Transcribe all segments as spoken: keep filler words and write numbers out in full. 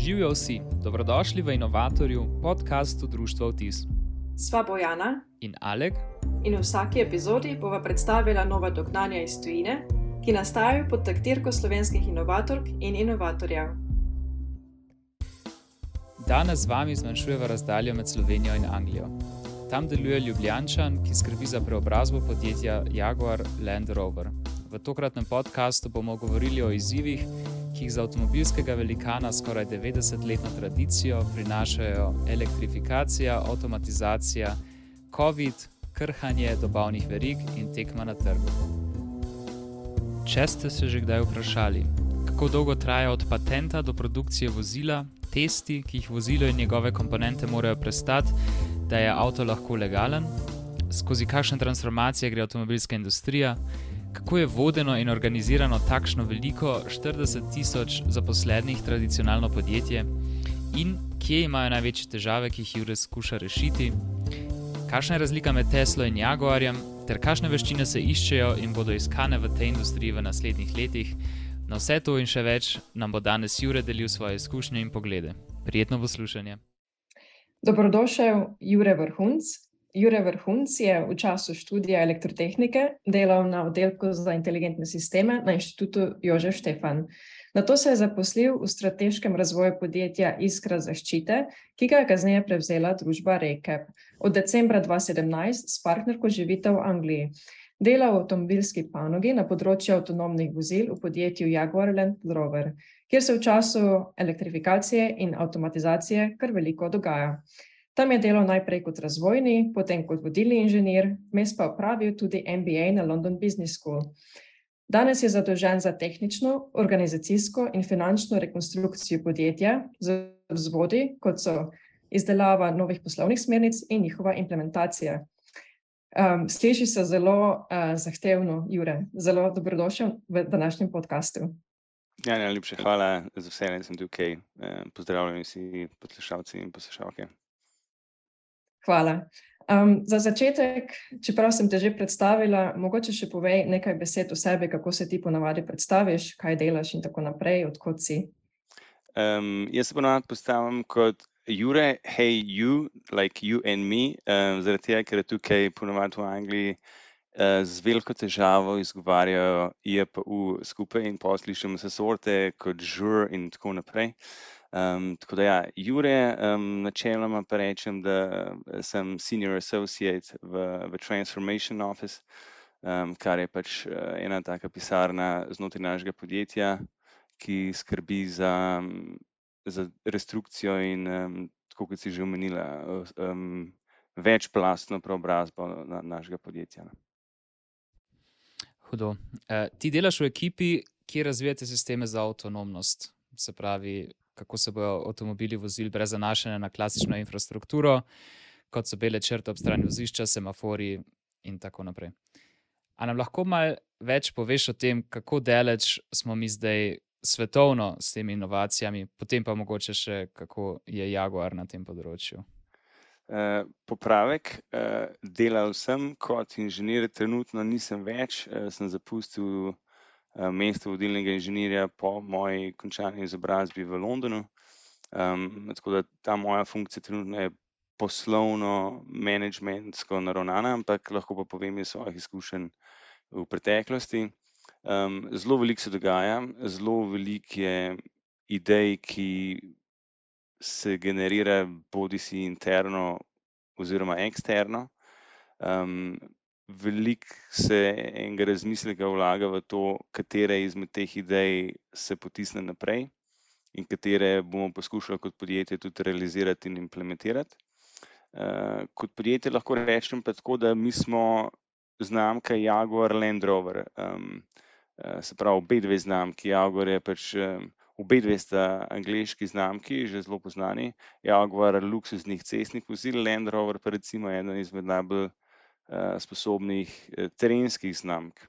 Živijo vsi, dobrodošli v Inovatorju, podcastu Društva Vtis. Sva Bojana In Alek. In v vsaki epizodi bova predstavila nova dognanja iz tujine, ki nastajajo pod taktirko slovenskih inovatork in inovatorjev. Danes z vami zmanjšujeva razdaljo med Slovenijo in Anglijo. Tam deluje Ljubljančan, ki skrbi za preobrazbo podjetja Jaguar Land Rover. V tokratnem podcastu bomo govorili o izzivih, ki jih za avtomobilskega velikana skoraj devetdesetletno tradicijo prinašajo elektrifikacija, avtomatizacija, COVID, krhanje dobavnih verig in tekma na trgu. Če ste se že kdaj vprašali, kako dolgo traja od patenta do produkcije vozila, testi, ki jih vozilo in njegove komponente morajo prestati, da je avto lahko legalen, skozi kakšne transformacije gre avtomobilska industrija, kako je vodeno in organizirano takšno veliko štirideset tisoč zaposlenih tradicionalno podjetje in kje imajo največje težave, ki jih Jure skuša rešiti, kakšna je razlika med Teslo in Jaguarjem, ter kakšne veščine se iščejo in bodo iskane v tej industriji v naslednjih letih. Na vse to in še več nam bo danes Jure delil svoje izkušnje in poglede. Prijetno poslušanje. Dobrodošel Jure Vrhunc. Jure Vrhunc je v času študija elektrotehnike delal na oddelku za inteligentne sisteme na Inštitutu Jožef Stefan. Nato se je zaposlil v strateškem razvoju podjetja Iskra zaščite, ki ga je kasneje prevzela družba Recap. Od decembra dva tisoč sedemnajst s partnerko živita v Angliji. Dela v avtomobilski panogi na področju avtonomnih vozil v podjetju Jaguar Land Rover, kjer se v času elektrifikacije in avtomatizacije kar veliko dogaja. Tam je delal najprej kot razvojni, potem kot vodilni inženir, vmes pa opravil tudi M B A na London Business School. Danes je zadolžen za tehnično, organizacijsko in finančno rekonstrukcijo podjetja z vzvodi, kot so izdelava novih poslovnih smernic in njihova implementacija. Um, sliši se zelo uh, zahtevno, Jure. Zelo dobrodošel v današnjem podcastu. Ja, najlepša hvala, z veseljem sem tukaj. Pozdravljeni vsi poslušalci in poslušalke. Hvala. Um, za začetek, čeprav sem te že predstavila, mogoče še povej nekaj besed o sebi, kako se ti ponavadi predstaviš, kaj delaš in tako naprej, odkot si. Um, jaz se ponavadi predstavim kot Jure, hey you, like you and me, um, zaradi tega, ker je tukaj ponavadi v Angliji uh, z veliko težavo izgovarjajo I P U skupaj in potem slišimo se sorte kot žur in tako naprej. Um, tako da ja, Jure, um, načeloma pa rečem, da sem senior associate v, v Transformation Office, um, kar je pač uh, ena taka pisarna znotraj našega podjetja, ki skrbi za, za restrukcijo in, um, tako kot si že omenila, um, večplastno preobrazbo na, našega podjetja. Hudo. Uh, ti delaš v ekipi, ki razvijate sisteme za avtonomnost, se pravi, kako se bojo avtomobili vozili brez zanašanja na klasično infrastrukturo, kot so bele črte ob strani vozišča, semafori in tako naprej. A nam lahko malo več poveš o tem, kako daleč smo mi zdaj svetovno s temi inovacijami, potem pa mogoče še, kako je Jaguar na tem področju? Uh, popravek, uh, delal sem kot inženir, trenutno nisem več, uh, sem zapustil mesto vodilnega inženirja po moji končani izobrazbi v Londonu. Um, tako da ta moja funkcija trenutno je poslovno, menedžmentsko naravnana, ampak lahko pa povem iz svojih izkušenj v preteklosti. Um, zelo veliko se dogaja, zelo veliko je idej, ki se generira bodisi interno oziroma eksterno. Um, Veliko se enega razmisleka vlaga v to, katere izmed teh idej se potisne naprej in katere bomo poskušali kot podjetje tudi realizirati in implementirati. Uh, kot podjetje lahko rečem pa tako, da mi smo znamka Jaguar Land Rover. Um, uh, se pravi, obe dve znamki. Jaguar je pač, um, obe dve sta angleški znamki, že zelo poznani. Jaguar luksuznih cestnih vozil, Land Rover pa recimo eden izmed najbolj sposobnih terenskih znamk.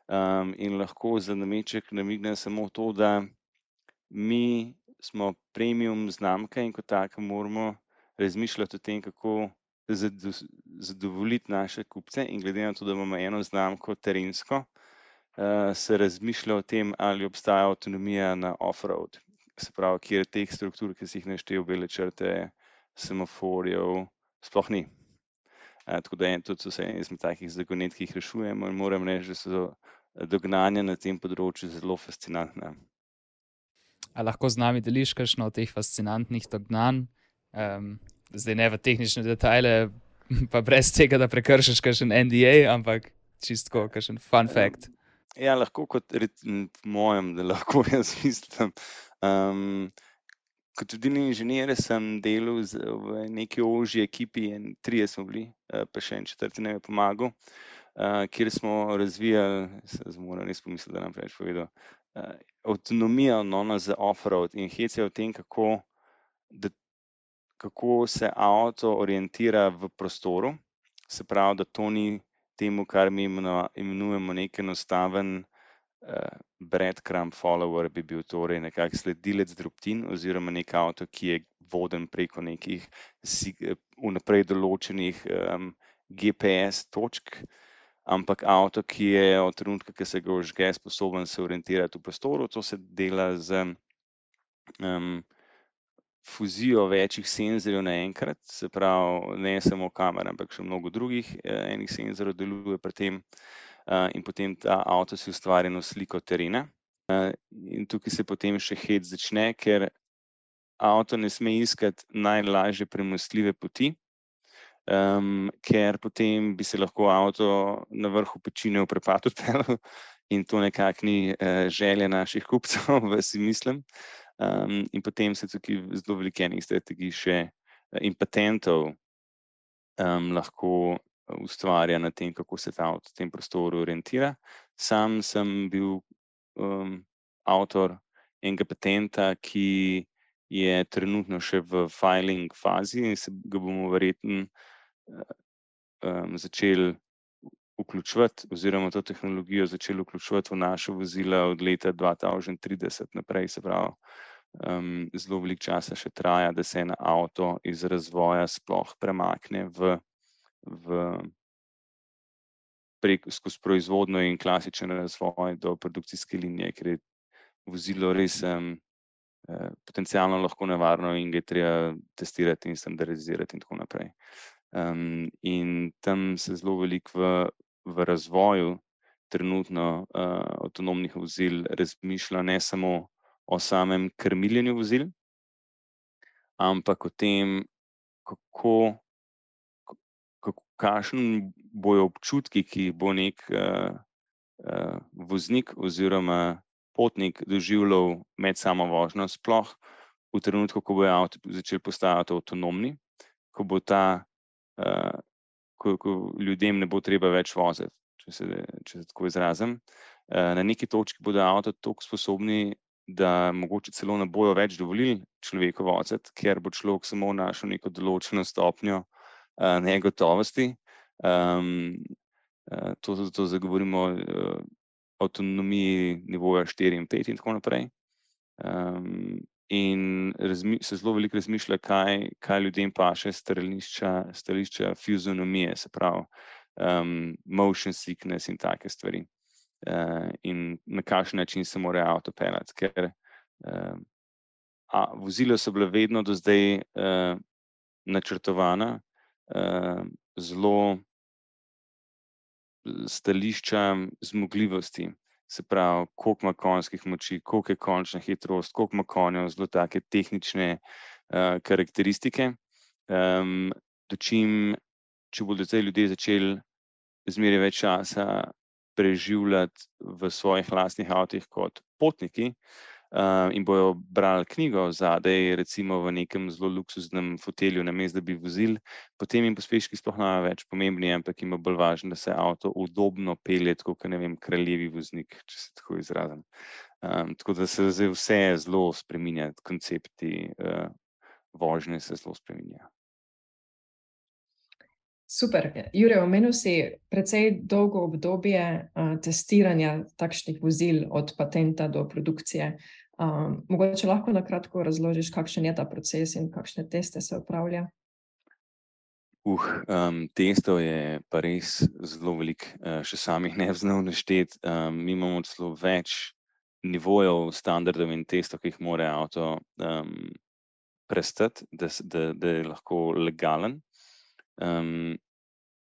Um, in lahko za nameček namignem samo to, da mi smo premium znamka in kot taka moramo razmišljati o tem, kako zadovoljiti naše kupce, in glede na to, da imamo eno znamko terensko, uh, se razmišlja o tem, ali obstaja avtonomija na off-road. se pravi, kjer teh struktur, ki si jih naštel, bele črte, semaforjev, sploh ni. Uh, tako da je tudi vse izmed takih zagonet, ki jih rešujemo in moram reči, da so dognanja na tem področju zelo fascinantna. A lahko z nami deliš kakšno od teh fascinantnih dognanj? Um, zdaj ne v tehnične detajle, pa brez tega, da prekršiš kakšen N D A, ampak čistko kakšen fun fact. Ja, lahko kot po mojem, da lahko jaz mislim. Um, kot vodilni inženir sem delal z, v neki ožji ekipi, in trije smo bili, pa še en četrti nam je pomagal, uh, kjer smo razvijali, se moram res pomisliti, da nam preveč povedal, uh, avtonomijo no, za off-road in hec je o tem, kako, da, kako se avto orientira v prostoru, se pravi, da to ni temu, kar mi imenujemo nek enostaven uh, breadcrumb follower, bi bil torej nekak sledilec drobtin oziroma nek avto, ki je voden preko nekih vnaprej določenih um, G P S točk, ampak avto, ki je od trenutka, ki se ga vžge, sposoben se orientirati v prostoru. To se dela z um, fuzijo večjih senzorjev naenkrat, se pravi, ne samo kamera, ampak še mnogo drugih eh, enih senzorjev deluje pri tem, uh, in potem ta avto si ustvari eno sliko terena. Uh, in tukaj se potem še hec začne, ker avto ne sme iskati najlažje premostljive poti, um, ker potem bi se lahko avto na vrhu pečine v prepad odpeljal in to nekako ni uh, želja naših kupcev, si mislim. Um, in potem se tukaj zelo veliko enih strategij še in patentov um, lahko ustvarja na tem, kako se ta avto v tem prostoru orientira. Sam sem bil um, avtor enega patenta, ki je trenutno še v filing fazi in se ga bomo verjetno um, začeli vključevati oziroma to tehnologijo začeli vključevati v naše vozila od leta dva tisoč trideset naprej, se pravi, um, zelo veliko časa še traja, da se en avto iz razvoja sploh premakne v, v prek, skozi proizvodno in klasičen razvoj do produkcijske linije, ker je vozilo res um, potencialno lahko nevarno in ga je treba testirati in standardizirati in tako naprej. Um, in tam se zelo veliko v v razvoju trenutno uh, avtonomnih vozil razmišlja ne samo o samem krmiljenju vozil, ampak o tem, kako, kako kakšen bojo občutki, ki bo nek uh, uh, voznik oziroma potnik doživljal med samo vožnjo, sploh v trenutku, ko bo avto začel postajati avtonomni, ko bo ta uh, Ko, ko ljudem ne bo treba več voziti, če se, če se tako izrazim. Na neki točki bodo avto toliko sposobni, da mogoče celo ne bojo več dovolili človeku voziti, ker bo človek samo našel neko določeno stopnjo negotovosti. Um, to zato zagovorimo o avtonomiji nivoja štiri in pet in tako naprej. Um, in razmi, se zelo veliko razmišlja, kaj, kaj ljudem paše stališča, stališča fizionomije, se pravi um, motion sickness in take stvari. Uh, in na kakšen način se mora avto peljati, ker uh, a, vozila so bila vedno do zdaj uh, načrtovana uh, zelo stališča zmogljivosti. Se pravi, koliko ima konjskih moči, koliko je končna hitrost, koliko ima konjev, zelo take tehnične uh, karakteristike. Um, dočim, če bodo zdaj ljudje začeli zmeraj več časa preživljati v svojih lastnih avtih kot potniki uh, in bojo brali knjigo zadaj, recimo v nekem zelo luksuznem fotelju, namesto da bi vozili, potem jim pospeški sploh ne več pomembni, ampak jim je bolj važno, da se avto udobno pelje, tako kot ne vem, kraljevi voznik, če se tako izrazim. Um, tako da se zdaj vse zelo spreminja, koncepti uh, vožnje se zelo spreminja. Super. Jure, omenil si precej dolgo obdobje uh, testiranja takšnih vozil od patenta do produkcije. Um, mogoče lahko na kratko razložiš, kakšen je ta proces in kakšne teste se opravlja? Uh, um, testov je pa res zelo veliko, uh, še samih ne znal našteti. Um, mi imamo celo več nivojev, standardov in testov, ki jih mora avto um, prestati, da, da, da je lahko legalen. Um,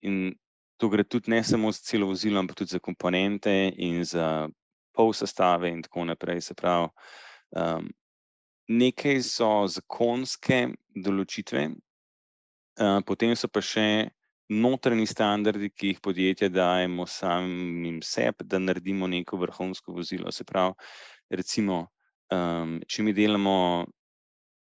in to gre tudi ne samo za celo vozilo, ampak tudi za komponente in za pol sestave in tako naprej. Se pravi, um, nekaj so zakonske določitve, uh, potem so pa še notranji standardi, ki jih podjetja dajemo samim sebi, da naredimo neko vrhunsko vozilo. Se pravi, recimo, um, če mi delamo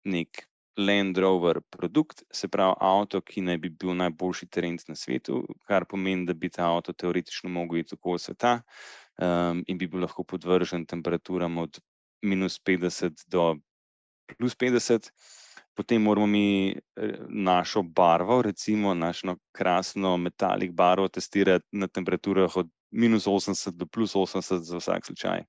nek Land Rover produkt, se pravi avto, ki naj bi bil najboljši terenc na svetu, kar pomeni, da bi ta avto teoretično mogel iti okoli sveta um, in bi bil lahko podvržen temperaturam od minus petdeset do plus petdeset. Potem moramo mi našo barvo, recimo našo krasno metalik barvo testirati na temperaturah od minus osemdeset do plus osemdeset za vsak slučaj.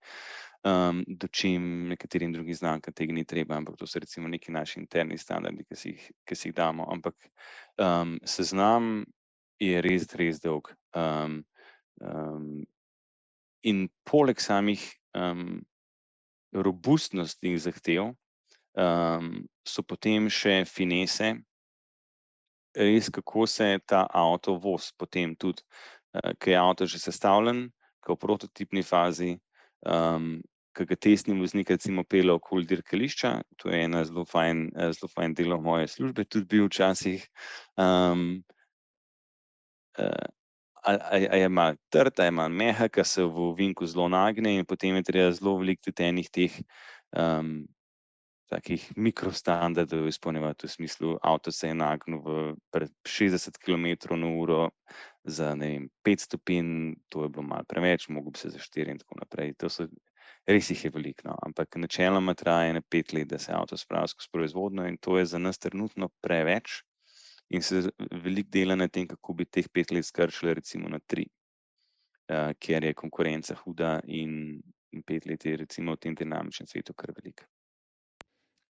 Um, do čim nekaterim drugim znamkam tega ni treba, ampak to so recimo neki naši interni standardi, ki si jih, ki si jih damo. Ampak um, seznam je res, res dolg. Um, um, in poleg samih um, robustnostnih zahtev um, so potem še finese, res kako se ta avto vozi potem tudi, uh, ko je avto že sestavljen, ko v prototipni fazi, um, ki ga testni voznik recimo pelje okoli dirkališča, to je ena zelo fajn, zelo fajn delo moje službe, tudi bil včasih, um, uh, ali je malo trd, ali je malo mehak, se v ovinku zelo nagne in potem je treba zelo veliko tudi enih teh um, takih mikrostandardov izpolnjevati, v smislu, avto se je nagnil v šestdeset kilometrov na uro za, ne vem, pet stopinj, to je bilo malo preveč, mogel bi se za štiri in tako naprej. To so, res jih je veliko, no. Ampak načeloma traja ene pet let, da se avto spravi skozi proizvodnjo in to je za nas trenutno preveč in se veliko dela na tem, kako bi teh pet let skrčili recimo na tri, uh, ker je konkurenca huda in, in pet let je recimo v tem dinamičnem svetu kar veliko.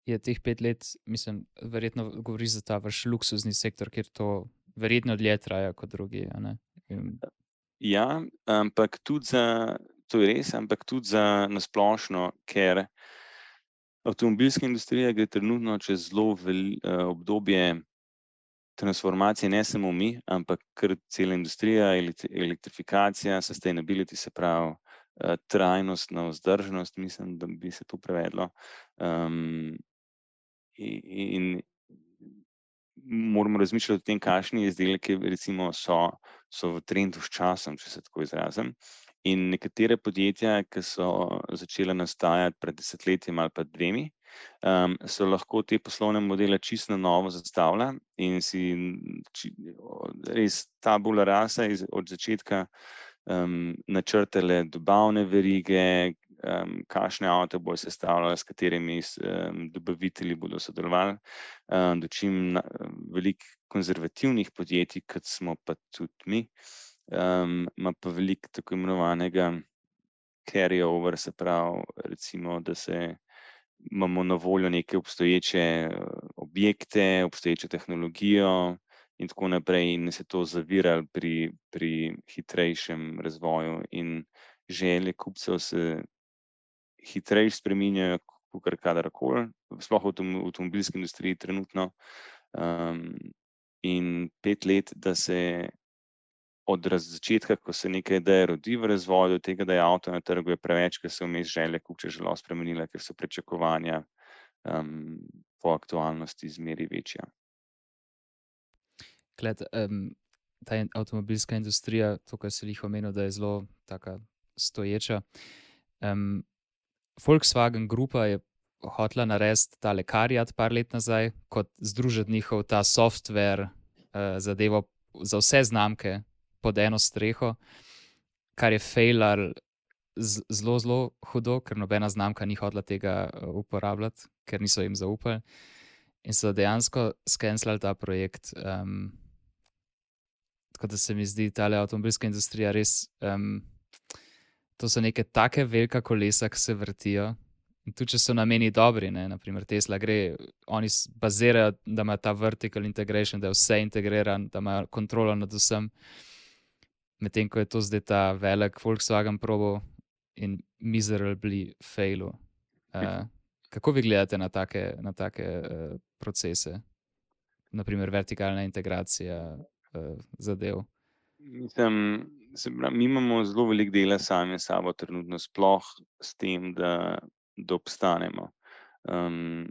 Je teh pet let, mislim, verjetno govori za ta vaš luksuzni sektor, kjer to verjetno dlje traja kot drugi, a ne? In... Ja, ampak tudi za, to je res, ampak tudi za nasplošno, ker avtomobilska industrija gre trenutno čez zelo vel, obdobje transformacije, ne samo mi, ampak kar cela industrija, elektrifikacija, sustainability, se pravi, trajnostna vzdržnost, mislim, da bi se to prevedlo. Um, in moramo razmišljati o tem, kakšni izdelki recimo so, so v trendu s časom, če se tako izrazim. In nekatere podjetja, ki so začela nastajati pred desetletjem ali pa dvemi, um, so lahko te poslovne modele čisto na novo zastavila in si či, res tabula rasa iz, od začetka um, načrtale dobavne verige, Um, kakšne avto bojo sestavljali, s katerimi um, dobavitelji bodo sodelovali, um, do čim na, veliko konzervativnih podjetij, kot smo pa tudi mi, um, ima pa veliko tako imenovanega carry over, se pravi, recimo, da se imamo na voljo neke obstoječe objekte, obstoječo tehnologijo in tako naprej in se to zavirali pri, pri hitrejšem razvoju in želje kupcev se hitreje spreminjajo kot kadarkoli, sploh v avtomobilski industriji trenutno. Um, in pet let, da se od začetka, ko se neka ideja rodi v razvoju, do tega, da je avto na trgu, je preveč, ker se vmes želje kupcev zelo spremenile, ker so pričakovanja um, po aktualnosti zmeri večja. Kled, um, ta avtomobilska industrija, to, kar se jih omenil, da je zelo taka stoječa. Um, Volkswagen Grupa je hotela narediti tale Kariat par let nazaj, kot združiti njihov ta software uh, zadevo za vse znamke pod eno streho, kar je failar zelo, zelo hudo, ker nobena znamka ni hotela tega uh, uporabljati, ker niso jim zaupali. In so dejansko skenslali ta projekt. Um, tako da se mi zdi tale avtomobilska industrija res... Um, To so neke take velika kolesa, ki se vrtijo. In tudi, če so nameni dobri, ne, naprimer Tesla gre, oni bazirajo, da ima ta vertical integration, da je vse integriran, da ima kontrolo nad vsem. Medtem, ko je to zdaj ta velik Volkswagen probo in miserably failu. Uh, kako vi gledate na take, na take uh, procese? Naprimer, vertikalna integracija uh, zadev. Mislim, se pravi, mi imamo zelo veliko dela sami s sabo trenutno, sploh s tem, da, da obstanemo. Um,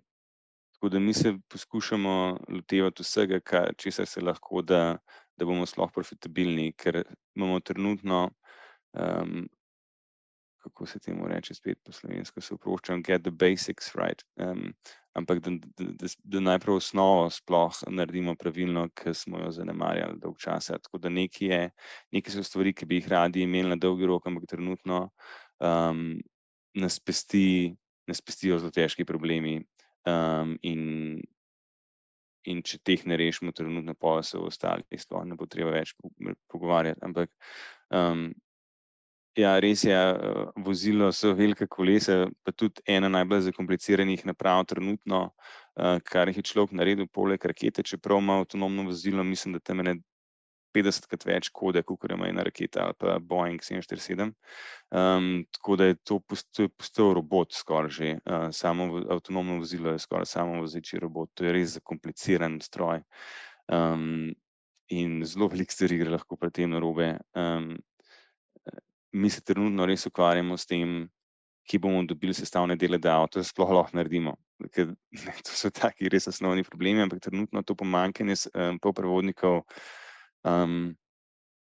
tako da mi se poskušamo lotevati vsega, kar, česar se lahko, da, da bomo sploh profitabilni, ker imamo trenutno, um, kako se temu reče spet po slovensko, se oproščam, get the basics right, um, ampak da, da, da, da najprej osnovo sploh naredimo pravilno, ker smo jo zanemarjali dolg časa. Tako da nekaj je, nekaj so stvari, ki bi jih radi imeli na dolgi rok, ampak trenutno um, nas pesti, nas pestijo zelo težki problemi um, in, in če teh ne rešimo trenutno, pa se v ostalih sploh ne bo treba več pogovarjati, ampak um, ja, res je, vozilo so velika kolesa, pa tudi ena najbolj zakompliciranih naprav trenutno, kar jih je človek naredil poleg rakete, čeprav ima avtonomno vozilo, mislim, da tam je petdesetkrat več kode, kakor ima ena raketa ali pa Boeing sedem štiri sedem. Um, tako da je to postal, postal robot skoraj že, uh, samo avtonomno vozilo je skoraj samo vozeči robot, to je res zakompliciran stroj. Um, in zelo veliko stvari gre lahko pri tem narobe. Um, Mi se trenutno res ukvarjamo s tem, ki bomo dobili sestavne dele, da avto sploh lahko naredimo. Ker to so taki res osnovni problemi, ampak trenutno to pomanjkanje um, polprevodnikov um,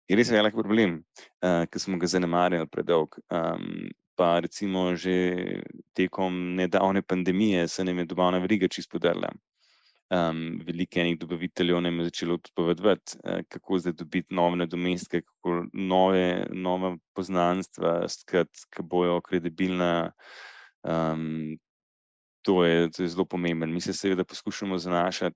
je res velik problem, uh, ker smo ga zanemarjali predolg. Um, pa recimo že tekom nedavne pandemije se nam je dobavna veriga čisto podrla. Um, veliko enih dobaviteljev nam je začelo odpovedovati, uh, kako zdaj dobiti nove nadomestke, kako nove, nove poznanstva, ki bojo kredibilna. Um, to, je, to je zelo pomembno. Mi se seveda poskušamo zanašati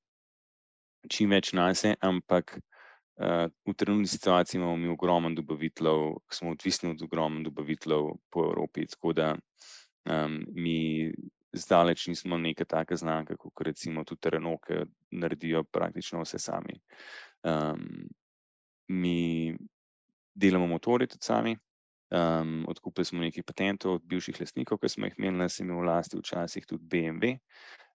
čim več nase, ampak uh, v trenutni situaciji imamo mi ogromno dobaviteljev, smo odvisni od ogromno dobaviteljev po Evropi, tako da um, mi zdaleč nismo neka taka znamka, kot recimo tudi Renault, ki naredijo praktično vse sami. Um, mi delamo motorje tudi sami, um, odkupili smo nekaj patentov od bivših lastnikov, ki smo jih imeli na semi v lasti, včasih tudi B M W,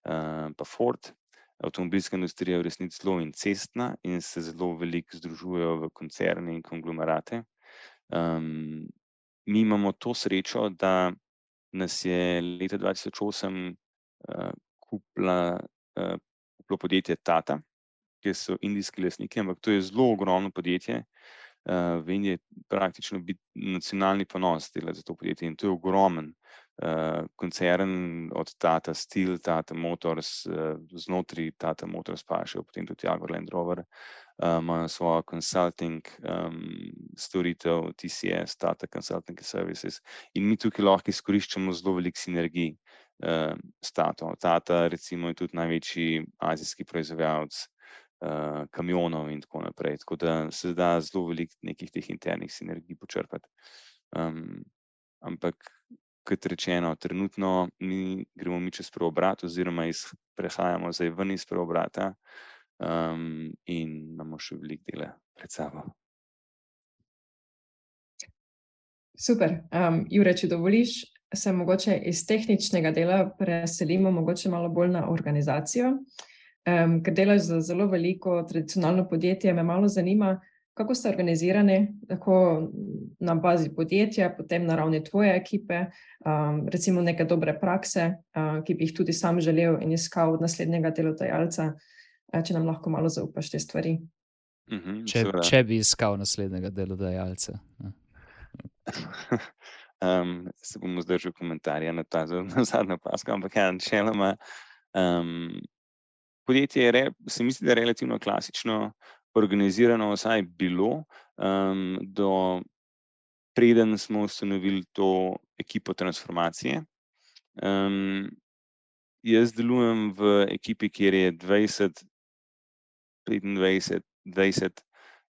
um, pa Ford. Avtomobilska industrija je v resnici zelo incestna in se zelo veliko združujejo v koncerne in konglomerate. Um, mi imamo to srečo, da nas je leta dva tisoč osem uh, kupila, uh, kupilo podjetje Tata, ki so indijski lastniki, ampak to je zelo ogromno podjetje. Uh, v Indiji je praktično biti nacionalni ponos delati za to podjetje in to je ogromen uh, koncern od Tata Steel, Tata Motors, uh, znotraj Tata Motors pa še potem tudi Jaguar Land Rover, ima uh, svojo consulting um, storitev T C S, Tata Consulting Services, in mi tukaj lahko izkoriščamo zelo veliko sinergij uh, s Tato. Tata recimo je tudi največji azijski proizvajalec uh, kamionov in tako naprej, tako da se da zelo veliko nekih teh internih sinergij počrpati. Um, ampak kot rečeno, trenutno mi gremo mi čez preobrat oziroma iz, prehajamo zdaj ven iz preobrata. Um, in imamo še veliko dela pred sabo. Super. Um, Jure, če dovoliš, se mogoče iz tehničnega dela preselimo mogoče malo bolj na organizacijo. Um, ker delaš za zelo veliko tradicionalno podjetje, me malo zanima, kako ste organizirani, tako na bazi podjetja, potem na ravni tvoje ekipe, um, recimo neke dobre prakse, uh, ki bi jih tudi sam želel in iskal od naslednjega delodajalca. Če nam lahko malo zaupaš te stvari. Mm-hmm, če, če bi iskal naslednjega delodajalca. um, se bom zdržal komentarja na ta na zadnjo pasko, ampak ja, načeloma um, podjetje je, se misli, da je relativno klasično organizirano, vsaj bilo, um, do preden smo ustanovili to ekipo transformacije. Um, jaz delujem v ekipi, kjer je dvajset petindvajset, dvajset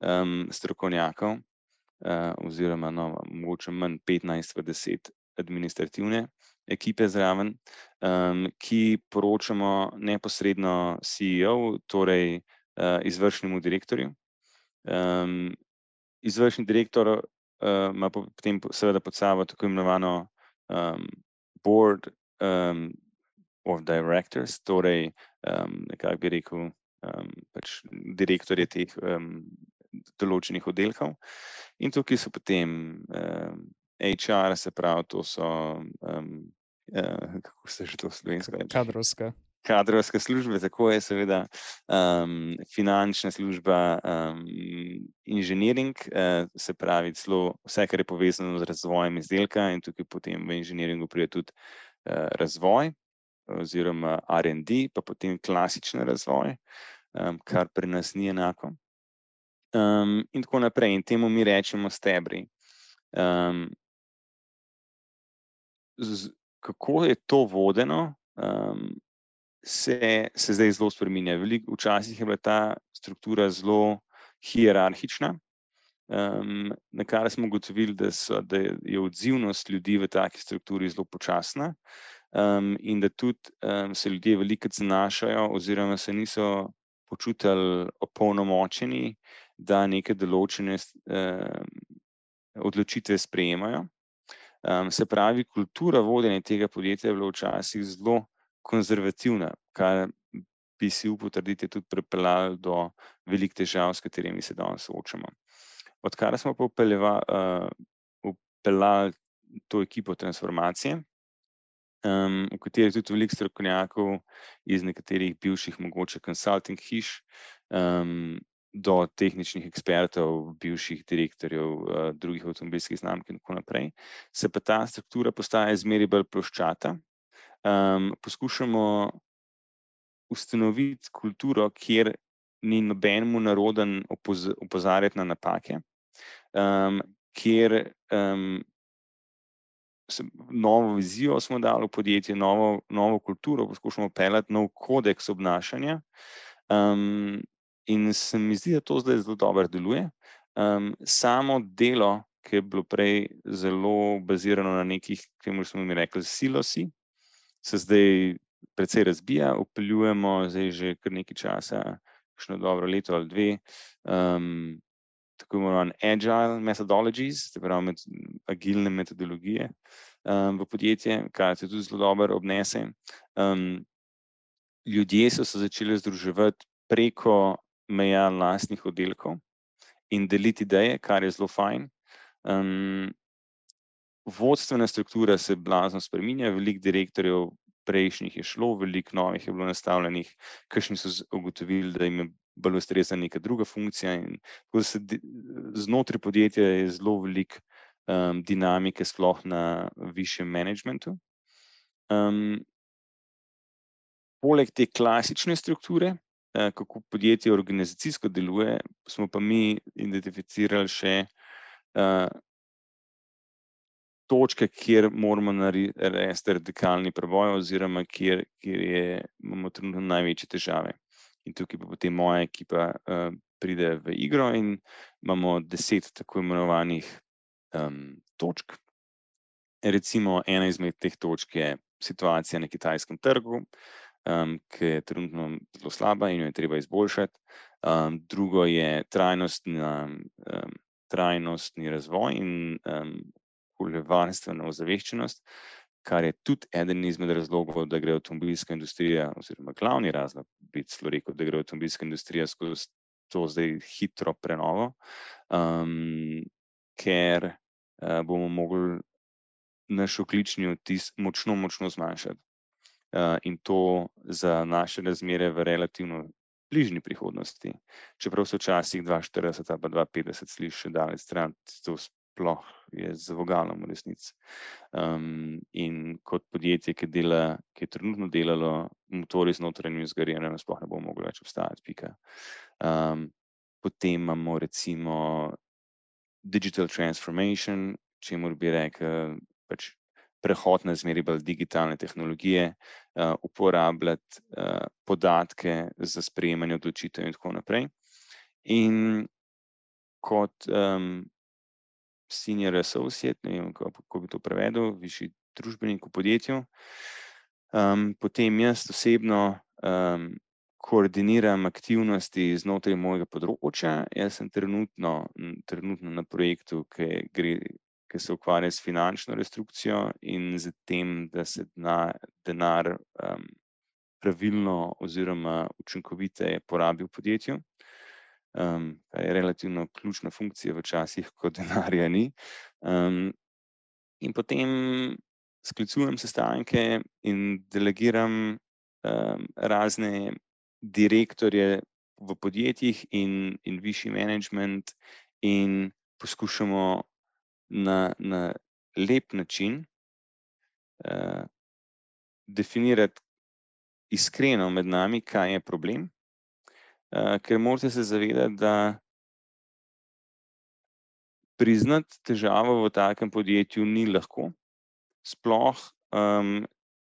um, strokovnjakov, uh, oziroma no, mogoče manj petnajst v deset administrativne ekipe zraven, um, ki poročamo neposredno C E O, torej uh, izvršnemu direktorju. Um, izvršni direktor uh, ima potem seveda pod sabo tako imenovano um, board um, of directors, torej um, nekako bi rekel um, pač direktorje teh um, določenih oddelkov. In tukaj so potem um, H R, se pravi, to so, um, uh, kako se že to slovensko reče? Kadrovska. Kadrovske službe, tako je seveda um, finančna služba, um, inženiring, uh, se pravi celo vse, kar je povezano z razvojem izdelka, in tukaj potem v inženiringu pride tudi uh, razvoj oziroma R and D, pa potem klasični razvoj, um, kar pri nas ni enako. Um, in tako naprej, in temu mi rečemo stebri. Um, z, kako je to vodeno, um, se, se zdaj zelo spreminja. Veliko, včasih je bila ta struktura zelo hierarhična, um, na kar smo ugotovili, da, so, da je odzivnost ljudi v taki strukturi zelo počasna, um, in da tudi um, se ljudje veliko zanašajo oziroma se niso počutili opolnomočeni, da neke določene um, odločitve sprejemajo. Um, se pravi, kultura vodenja tega podjetja je bila včasih zelo konzervativna, kar bi si upal trditi tudi pripeljalo do velikih težav, s katerimi se danes soočamo. Odkar smo pa vpeljali uh, to ekipo transformacije, um, v kateri je tudi veliko strokovnjakov iz nekaterih bivših mogoče consulting hiš, um, do tehničnih ekspertov, bivših direktorjev uh, drugih avtomobilskih znamk in tako naprej, se pa ta struktura postaja zmeraj bolj ploščata. Um, poskušamo ustanoviti kulturo, kjer ni nobenemu naroden opoz opozarjati na napake, um, kjer um, se, novo vizijo smo dali v podjetje, novo, novo kulturo, poskušamo peljati nov kodeks obnašanja, um, in se mi zdi, da to zdaj zelo dobro deluje. Um, samo delo, ki je bilo prej zelo bazirano na nekih, čemur smo mi rekli, silosi, se zdaj precej razbija, vpeljujemo zdaj že kar nekaj časa, kakšno dobro leto ali dve, um, tako imenovan agile methodologies, se pravi med, agilne metodologije um, v podjetje, kar se tudi zelo dobro obnese. Um, ljudje so se začeli združevati preko meja lastnih oddelkov in deliti ideje, kar je zelo fajn. Um, vodstvena struktura se blazno spreminja, veliko direktorjev prejšnjih je šlo, veliko novih je bilo nastavljenih, kakšni so ugotovili, da jim je bolj ustrezna neka druga funkcija, in tako da se znotraj podjetja je zelo veliko um, dinamike, sploh na višjem managementu. Um, poleg te klasične strukture, uh, kako podjetje organizacijsko deluje, smo pa mi identificirali še uh, točke, kjer moramo narediti radikalni preboj oziroma kjer, kjer je, imamo trenutno največje težave. In tukaj pa potem moja ekipa uh, pride v igro in imamo deset tako imenovanih um, točk. Recimo ena izmed teh točk je situacija na kitajskem trgu, um, ki je trenutno zelo slaba in jo je treba izboljšati. Um, drugo je trajnostna, um, trajnostni razvoj in um, okoljevarstvena ozaveščenost, kar je tudi eden izmed razlogov, da gre avtomobilska industrija, oziroma glavni razlog, bi celo rekel, da gre avtomobilska industrija skozi to zdaj hitro prenovo, um, ker uh, bomo mogli naš ogljični odtis močno, močno zmanjšati. Uh, in to za naše razmere v relativno bližnji prihodnosti. Čeprav se včasih dva štirideset ali pa dva petdeset sliši še daleč stran, to sploh je z vogalom v resnici. Um, in kot podjetje, ki, dela, ki je trenutno delalo motorji z notranjim izgorevanjem, sploh ne bomo mogli več obstajati, pika. Um, potem imamo recimo digital transformation, čemur bi rekel pač prehod na zmeraj bolj digitalne tehnologije, uh, uporabljati uh, podatke za sprejemanje odločitev in tako naprej. In kot um, senior associate, ne vem, kako bi to prevedel, višji družbenik v podjetju, um, potem jaz osebno um, koordiniram aktivnosti znotraj mojega področja. Jaz sem trenutno, trenutno na projektu, ki gre, ki se ukvarja s finančno restrukcijo in z tem, da se denar, denar um, pravilno oziroma učinkoviteje porabi v podjetju. Um, kar je relativno ključna funkcija v časih, ko denarja ni. Um, in potem sklicujem sestanke in delegiram um, razne direktorje v podjetjih in, in višji management in poskušamo na, na lep način uh, definirati iskreno med nami, kaj je problem, uh, ker morate se zavedati, da priznati težavo v takem podjetju ni lahko, sploh um,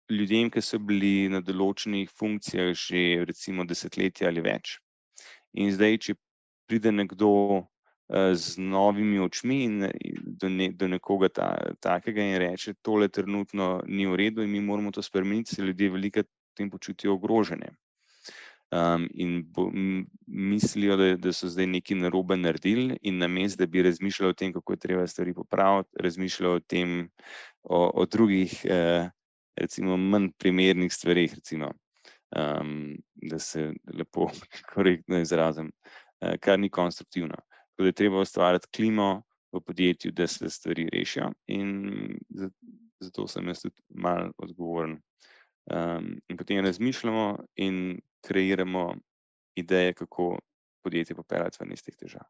ljudem, ki so bili na določenih funkcijah že recimo desetletja ali več. In zdaj, če pride nekdo uh, z novimi očmi in do, ne, do nekoga ta, takega in reče, tole trenutno ni v redu in mi moramo to spremeniti, se ljudje velikokrat v tem počutijo ogrožene. Um, in bo, m, mislijo, da, da so zdaj nekaj narobe naredili in namesto, da bi razmišljali o tem, kako je treba stvari popraviti, razmišljajo o tem, o, o drugih, eh, recimo, manj primernih stvarih, recimo, um, da se lepo korektno izrazim, eh, kar ni konstruktivno. Tako da je treba ustvariti klimo v podjetju, da se stvari rešijo in zato sem jaz tudi malo odgovoren. Um, in potem razmišljamo in kreiramo ideje, kako podjetje popeljati ven iz teh težav.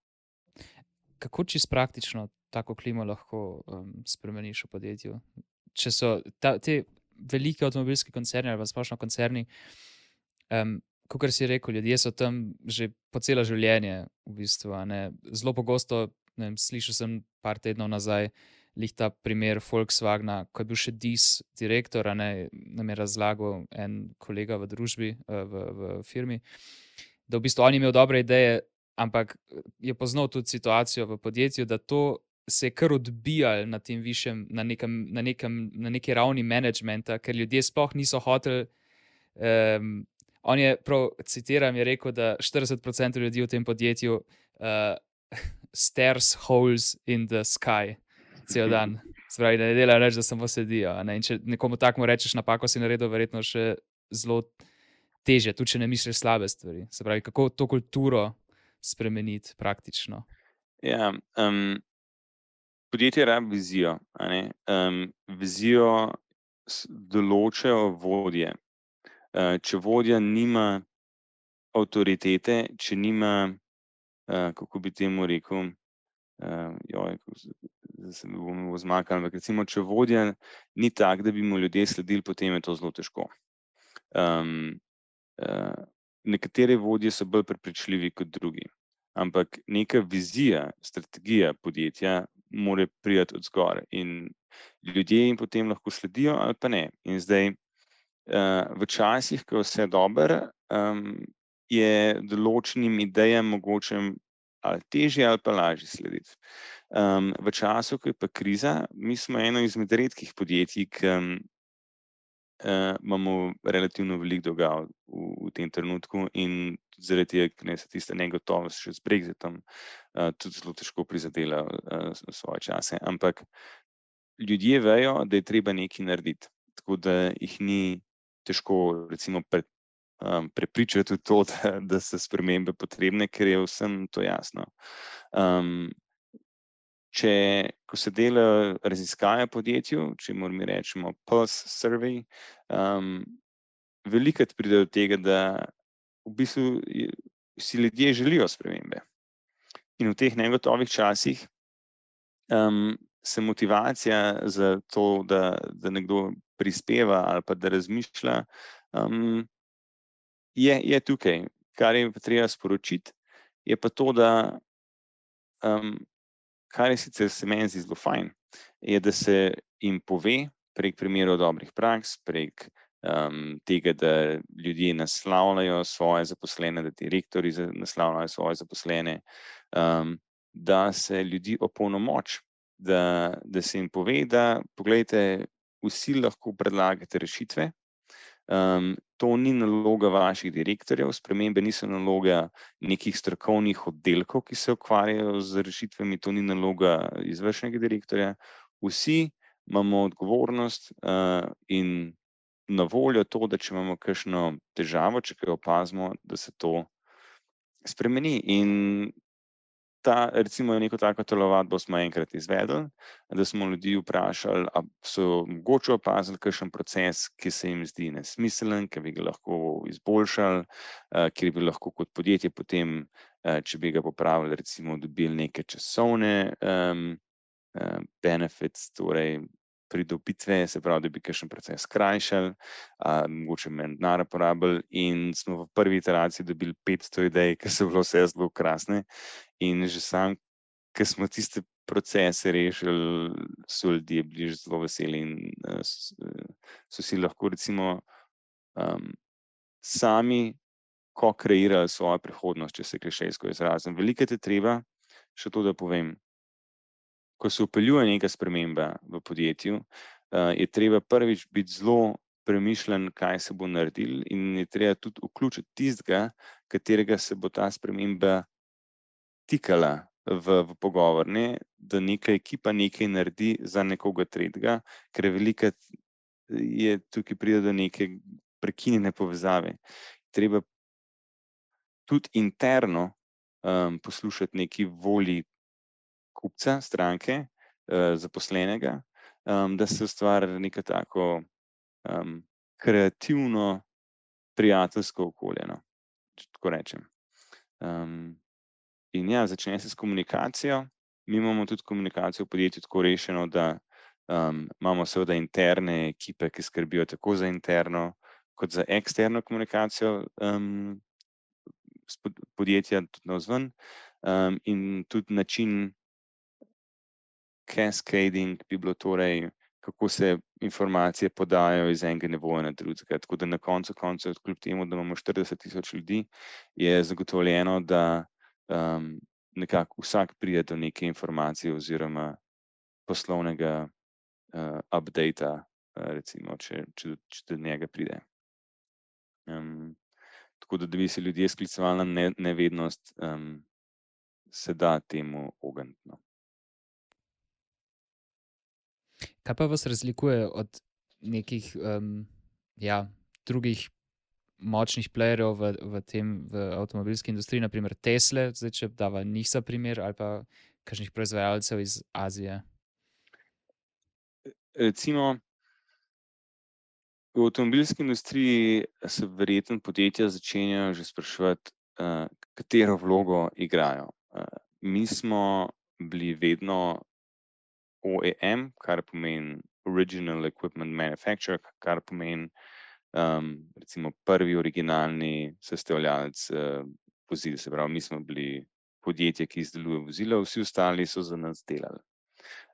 Kako čisto praktično tako klimo lahko um, spremeniš v podjetju? Če so ta, te velike avtomobilski koncerni ali pa splošno koncerni, um, kakor si rekel, ljudje so tam že po celo življenje v bistvu. A ne? Zelo pogosto, ne vem, slišal sem par tednov nazaj, lih ta primer Volkswagna, ko je bil še D I S direktor, a ne, nam je razlagal en kolega v družbi, v, v firmi, da v bistvu on je imel dobre ideje, ampak je poznal tudi situacijo v podjetju, da to se je kar odbijalo na tem višjem, na nekem, na nekem, na neki ravni managementa, ker ljudje sploh niso hoteli. Um, on je, prav citiram, je rekel, da štirideset procent ljudi v tem podjetju uh, stares holes in the sky. Cel dan. Spravi, da ne delajo reči, da samo sedijo. Ne? In če nekomu takmu rečeš napako, si naredil verjetno še zelo teže, tudi če ne misliš slabe stvari. Se pravi, kako to kulturo spremeniti praktično? Ja, um, podjetje rabi vizijo. A ne? Um, vizijo določajo vodje. Uh, če vodja nima avtoritete, če nima, uh, kako bi temu rekel, uh, joj, da se mi bomo zmakali, ampak recimo, če vodja ni tak, da bi mu ljudje sledili, potem je to zelo težko. Um, uh, nekatere vodje so bolj prepričljivi kot drugi, ampak neka vizija, strategija podjetja mora priti od zgoraj in ljudje jim potem lahko sledijo ali pa ne. In zdaj, uh, v časih, ko je vse dobro, um, je določenim idejam mogoče ali težje ali pa lažje slediti. Um, v času, ko je pa kriza, mi smo eno izmed redkih podjetij, ki um, uh, imamo relativno veliko dolga v, v tem trenutku in zaradi tega, ker se tista negotovost še z Brexitom uh, tudi zelo težko prizadela uh, svoje čase. Ampak ljudje vejo, da je treba nekaj narediti, tako da jih ni težko recimo pred Um, prepričati v to, da, da so spremembe potrebne, ker je vsem to jasno. Um, če, ko se dela raziskave podjetju, če moramo rečemo pulse survey, um, velikokrat pride do tega, da v bistvu si ljudje želijo spremembe. In v teh negotovih časih um, se motivacija za to, da, da nekdo prispeva ali pa da razmišlja, um, Je, je tukaj. Kar je pa treba sporočiti, je pa to, da um, kar je sicer se meni zdi zelo fajn, je, da se jim pove prek primerov dobrih praks, prek um, tega, da ljudje naslavljajo svoje zaposlene, da direktorji naslavljajo svoje zaposlene, um, da se ljudi opolnomoči, da, da se jim pove, da poglejte, vsi lahko predlagate rešitve, um, to ni naloga vaših direktorjev, spremembe niso naloga nekih strokovnih oddelkov, ki se ukvarjajo z rešitvami, to ni naloga izvršnega direktorja. Vsi imamo odgovornost uh, in na voljo to, da če imamo kakšno težavo, če kaj opazimo, da se to spremeni. In ta, recimo, neko tako telovadbo smo enkrat izvedli, da smo ljudi vprašali, a so mogoče opazili kakšen proces, ki se jim zdi nesmiselen, ki bi ga lahko izboljšali, kjer bi lahko kot podjetje potem, če bi ga popravili, recimo dobili neke časovne um, benefits, torej pridobitve, se pravi, da bi kakšen proces skrajšali, a, mogoče manj denarja porabili, in smo v prvi iteraciji dobili petsto idej, ki so bile vse zelo krasne. In že sam, ko smo tiste procese rešili, so ljudje bili zelo veseli in uh, so si lahko recimo um, sami ko kreirali svojo prihodnost, če se klišejsko izrazim. Veliko je treba, še to, da povem, ko se vpeljuje neka sprememba v podjetju, uh, je treba prvič biti zelo premišljen, kaj se bo naredil, in je treba tudi vključiti tistega, katerega se bo ta sprememba tikala v, v pogovor, ne, da neka ekipa nekaj naredi za nekoga tretjega, ker velika je tukaj pride do neke prekinjene povezave. Treba tudi interno um, poslušati neki volji kupca, stranke, uh, zaposlenega, um, da se ustvari neko tako um, kreativno, prijateljsko okolje, no, če tako rečem. Um, In ja, začne se s komunikacijo. Mi imamo tudi komunikacijo v podjetju tako rešeno, da um, imamo seveda interne ekipe, ki skrbijo tako za interno kot za eksterno komunikacijo um, podjetja tudi navzven, um, in tudi način cascading bi bilo torej, kako se informacije podajo iz enega nivoja na drugega. Tako da na koncu koncev, kljub temu, da imamo štirideset tisoč ljudi, je zagotovljeno, da Um, nekako vsak pride do neke informacije oziroma poslovnega uh, updata, uh, recimo, če, če, če do njega pride. Um, tako da, da bi se ljudje sklicevali na ne, nevednost, um, se da temu ogniti. No. Kaj pa vas razlikuje od nekih um, ja, drugih močnih playerjev v, v tem, v avtomobilski industriji, naprimer Tesla, zdaj če dava njih za primer, ali pa kakšnih proizvajalcev iz Azije? Recimo, v avtomobilski industriji se verjetno podjetja začenjajo že spraševati, uh, katero vlogo igrajo. Uh, mi smo bili vedno O E M, kar pomeni Original Equipment Manufacturer, kar pomeni Um, recimo prvi originalni sestavljalec uh, vozil, se pravi, mi smo bili podjetje, ki izdeluje vozila, vsi ostali so za nas delali.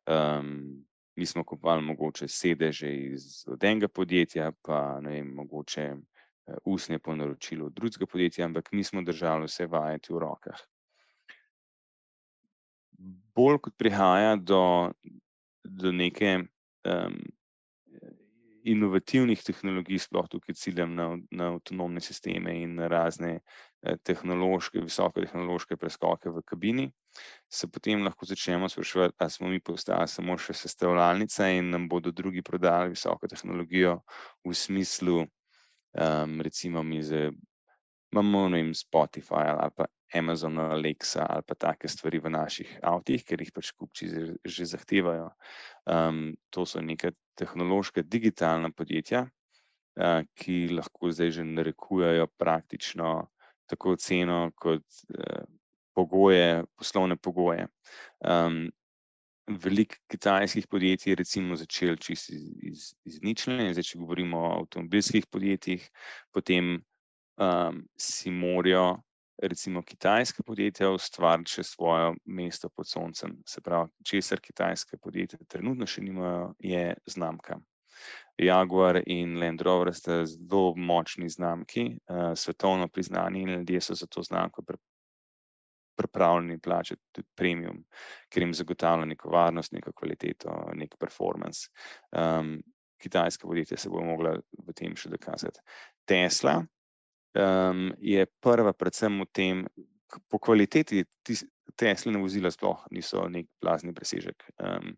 Um, mi smo kupovali mogoče sedeže iz od enega podjetja, pa ne vem, mogoče uh, usnje po naročilu od drugega podjetja, ampak mi smo držali vse vajeti v rokah. Bolj kot prihaja do, do neke um, inovativnih tehnologij, sploh tukaj ciljam na, na avtonomne sisteme in na razne eh, tehnološke, visokotehnološke preskoke v kabini, se potem lahko začnemo spraševati, ali smo mi postali samo še sestavljalnica in nam bodo drugi prodali visoko tehnologijo v smislu, um, recimo mi zdaj imamo, ne vem, Spotify ali pa Amazon Alexa ali pa take stvari v naših avtih, ker jih pač kupci že zahtevajo. Um, to so neka tehnološka digitalna podjetja, uh, ki lahko zdaj že narekujejo praktično tako ceno kot uh, pogoje, poslovne pogoje. Um, Veliko kitajskih podjetij je recimo začelo čisto iz, iz, iz ničle, zdaj če govorimo o avtomobilskih podjetjih, potem um, si morajo recimo kitajska podjetja ustvariti še svoje mesto pod soncem. Se pravi, česar kitajske podjetja trenutno še nimajo, je znamka. Jaguar in Land Rover sta zelo močni znamki, uh, svetovno priznani, in ljudje so za to znamko pripravljeni plačati tudi premium, ker jim zagotavlja neko varnost, neko kvaliteto, nek performance. Um, kitajska podjetja se bodo mogla v tem še dokazati. Tesla um, je prva predvsem v tem, po kvaliteti Tesline vozila sploh niso nek blazni presežek, um,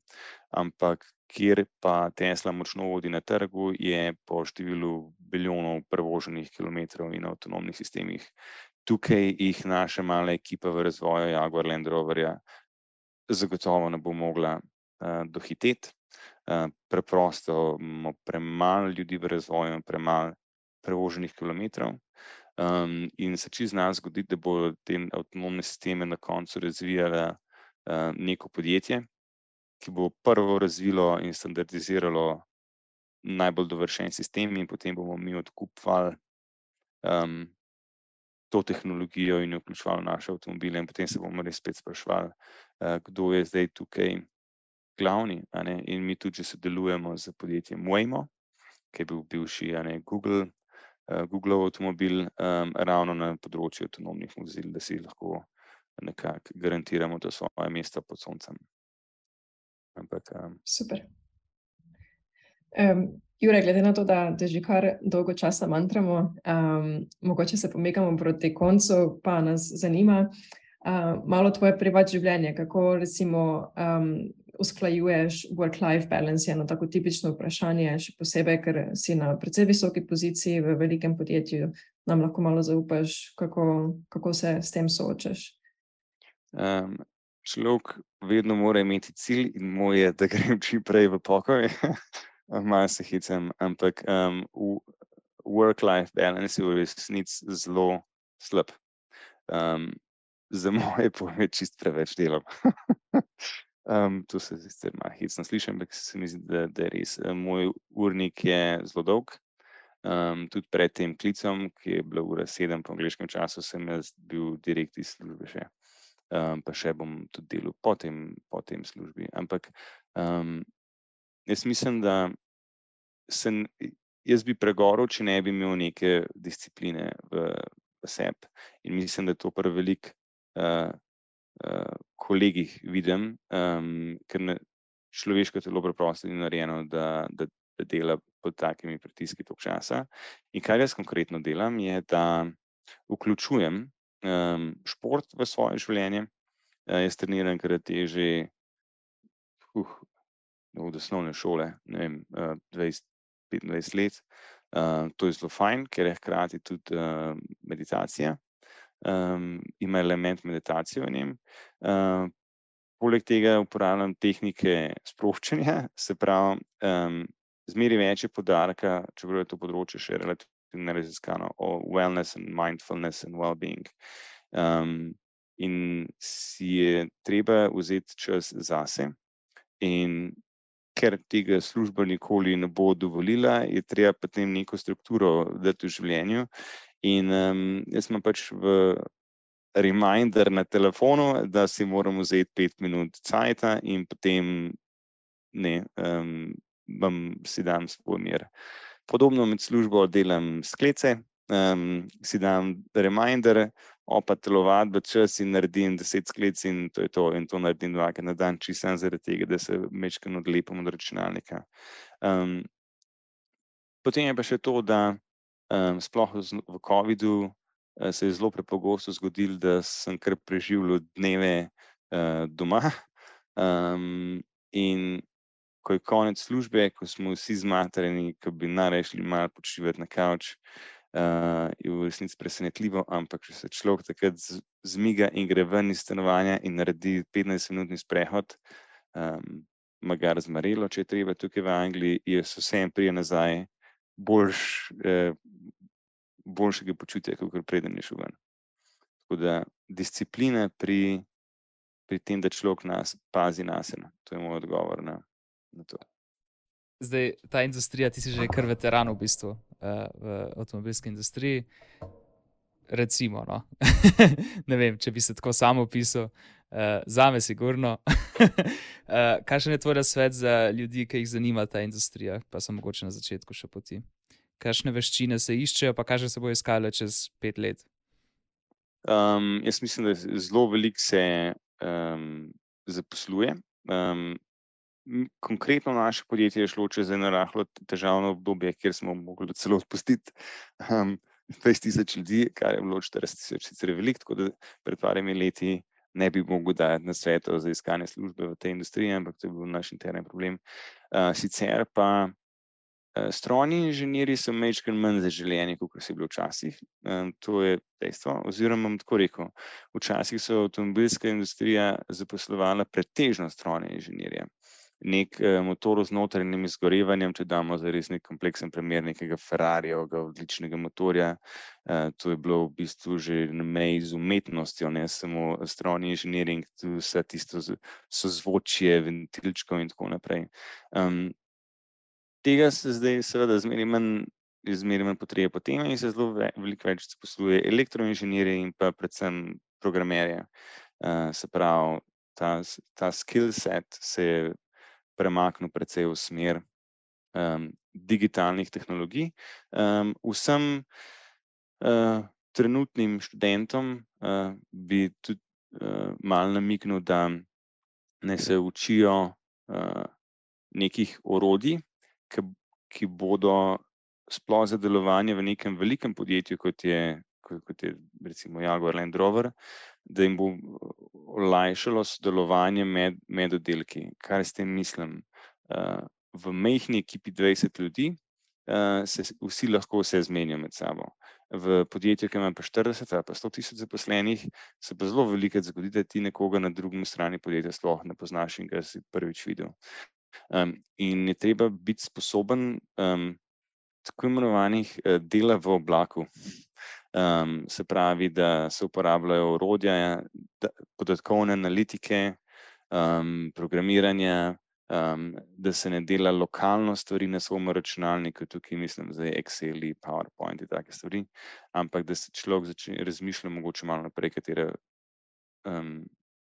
ampak kjer pa Tesla močno vodi na trgu, je po številu bilijonov prevoženih kilometrov in avtonomnih sistemih. Tukaj jih naša mala ekipa v razvoju Jaguar Land Roverja zagotovo ne bo mogla uh, dohiteti. Uh, preprosto imamo premalo ljudi v razvoju, premalo prevoženih kilometrov. Um, in se čisto zna zgoditi, da bo te avtonomne sisteme na koncu razvijala uh, neko podjetje, ki bo prvo razvilo in standardiziralo najbolj dovršen sistem in potem bomo mi odkupovali um, to tehnologijo in jo vključevali v naše avtomobile in potem se bomo res spet spraševali, uh, kdo je zdaj tukaj glavni, a ne? In mi tudi že sodelujemo z podjetjem Waymo, ki je bil bivši, a ne, Google, uh, Googlov avtomobil, um, ravno na področju avtonomnih vozil, da si lahko nekako garantiramo to svoje mesto pod soncem. Ampak, um, Super. Um, Jure, glede na to, da te že kar dolgo časa mantramo, um, mogoče se pomikamo proti koncu, pa nas zanima uh, malo tvoje privatno življenje, kako recimo um, usklajuješ work-life balance, je eno tako tipično vprašanje, še posebej, ker si na precej visoki poziciji v velikem podjetju, nam lahko malo zaupaš, kako, kako se s tem soočaš? Um, človek vedno mora imeti cilj in moj je, da grem čim prej v pokoj. Malo se hecam, ampak um, work-life balance je v resnici zelo slab. Um, za moje pojme čist preveč delam. um, to se sicer malo hecno sliši, ampak se mi zdi, da, da je res. Moj urnik je zelo dolg. Um, tudi pred tem klicom, ki je bila ura sedem po angleškem času, sem jaz bil direkt iz službe še. Um, pa še bom tudi delal po tem, po tem službi. Ampak um, jaz mislim, da sem, jaz bi pregorel, če ne bi imel neke discipline v, v sebi. In mislim, da to pri veliko uh, uh, kolegih vidim, um, ker ne, človeško telo preprosto ni narejeno, da, da, da dela pod takimi pritiski toliko časa. In kar jaz konkretno delam, je, da vključujem um, šport v svoje življenje. Uh, jaz treniram karate že uh, od osnovne šole, ne vem, uh, dvajset petindvajset let. Uh, to je zelo fajn, ker je hkrati tudi uh, meditacija. Um, ima element meditacije v njem. Uh, poleg tega uporabljam tehnike sproščanja, se pravi, um, zmeri več je poudarka, čeprav je to področje še relativno neraziskano, o wellness and mindfulness and well-being. Um, in si je treba vzeti čas zase in ker tega služba nikoli ne bo dovolila, je treba potem neko strukturo dati v življenju. In um, jaz imam pač v reminder na telefonu, da si moram vzeti pet minut cajta in potem ne, um, vam si dam svoj mir. Podobno med službo delam sklece, um, si dam reminder, opa telovadbe čas in naredim deset sklec in to je to. In to naredim dvakrat na dan, čisto samo zaradi tega, da se majčkeno odlepim od računalnika. Um, potem je pa še to, da um, sploh v covidu uh, se je zelo prepogosto zgodilo, da sem kar preživljal dneve uh, doma. Um, in ko je konec službe, ko smo vsi zmatrani, ko bi najraje šli malo počivati na kavč, uh, je v resnici presenetljivo, ampak če se človek takrat zmiga in gre ven iz stanovanja in naredi petnajstminutni sprehod, um, magar zmarelo, če je treba tukaj v Angliji, je vsem prije nazaj boljš, eh, boljšega počutja, kot preden je šel ven. Tako da disciplina pri, pri tem, da človek nas pazi nase. To je moj odgovor na, na to. Zdaj, ta industrija, ti si že kar veteran v bistvu uh, v avtomobilski industriji. Recimo, no. Ne vem, če bi se tako sam opisal, uh, zame sigurno. uh, kakšen je tvoj nasvet za ljudi, ki jih zanima ta industrija, pa so mogoče na začetku še poti? Kakšne veščine se iščejo, pa kakšne se bo iskale čez pet let? Um, jaz mislim, da zelo veliko se um, zaposluje. Um, Konkretno naše podjetje je šlo čez eno rahlo težavno obdobje, kjer smo mogli celo odpustiti um, dvajset tisoč ljudi, kar je bilo štirideset tisoč sicer veliko, tako da pred parimi leti ne bi mogel dati na svetu za iskanje službe v tej industriji, ampak to je bil naš interni problem. Uh, sicer pa uh, strojni inženirji so majčkeno manj zaželeni, kot so bili včasih. Um, to je dejstvo, oziroma bom tako rekel, včasih so avtomobilska industrija zaposlovala pretežno strojne inženirje. Nek eh, motor z notranjim izgorevanjem, če damo za res nek kompleksen primer nekega Ferrarijevega odličnega motorja, eh, to je bilo v bistvu že na meji z umetnostjo, ne samo strojni inženiring, tu vse tisto sozvočje, ventilčkov in tako naprej. Um, tega se zdaj seveda zmeraj manj, zmeraj manj potrebe po tem in se zelo ve, veliko več zaposluje elektroinženirje in pa predvsem programerje. Uh, se pravi, ta, ta skill set se je premaknil precej v smer um, digitalnih tehnologij. Um, vsem uh, trenutnim študentom uh, bi tudi uh, malo namiknil, da ne se učijo uh, nekih orodij, ki, ki bodo sploh za delovanje v nekem velikem podjetju, kot je, kot, kot je recimo Jaguar Land Rover, da jim bo olajšalo sodelovanje med, med oddelki. Kaj s tem mislim? Uh, v majhni ekipi dvajset ljudi uh, se vsi lahko vse zmenijo med sabo. V podjetju, ki ima pa štirideset ali pa sto tisoč zaposlenih, se pa zelo veliko zgodi, da ti nekoga na drugem strani podjetja sploh ne poznaš in ga si prvič videl. Um, in je treba biti sposoben um, tako imenovanih uh, dela v oblaku. Um, se pravi, da se uporabljajo orodja, da, podatkovne analitike, um, programiranja, um, da se ne dela lokalno stvari na svojem računalniku, tukaj mislim zdaj Excel, PowerPoint in take stvari, ampak da se človek začne razmišljati mogoče malo naprej, katere um,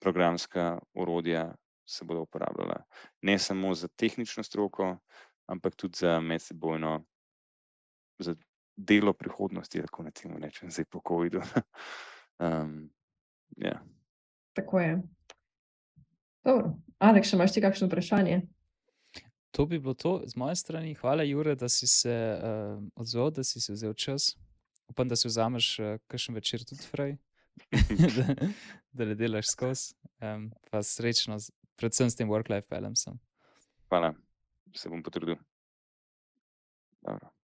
programska orodja se bodo uporabljala. Ne samo za tehnično stroko, ampak tudi za medsebojno, za delo prihodnosti, tako na tem rečem, zdaj po covidu. um, yeah. Tako je. Dobro. Aleks, še imaš ti kakšno vprašanje? To bi bilo to z moje strani. Hvala, Jure, da si se uh, odzval, da si se vzel čas. Upam, da si vzameš uh, kakšen večer tudi fraj, da, da ne delaš skozi. Um, pa srečno, predvsem s tem work-life balanceom. Hvala, se bom potrudil. Dobro.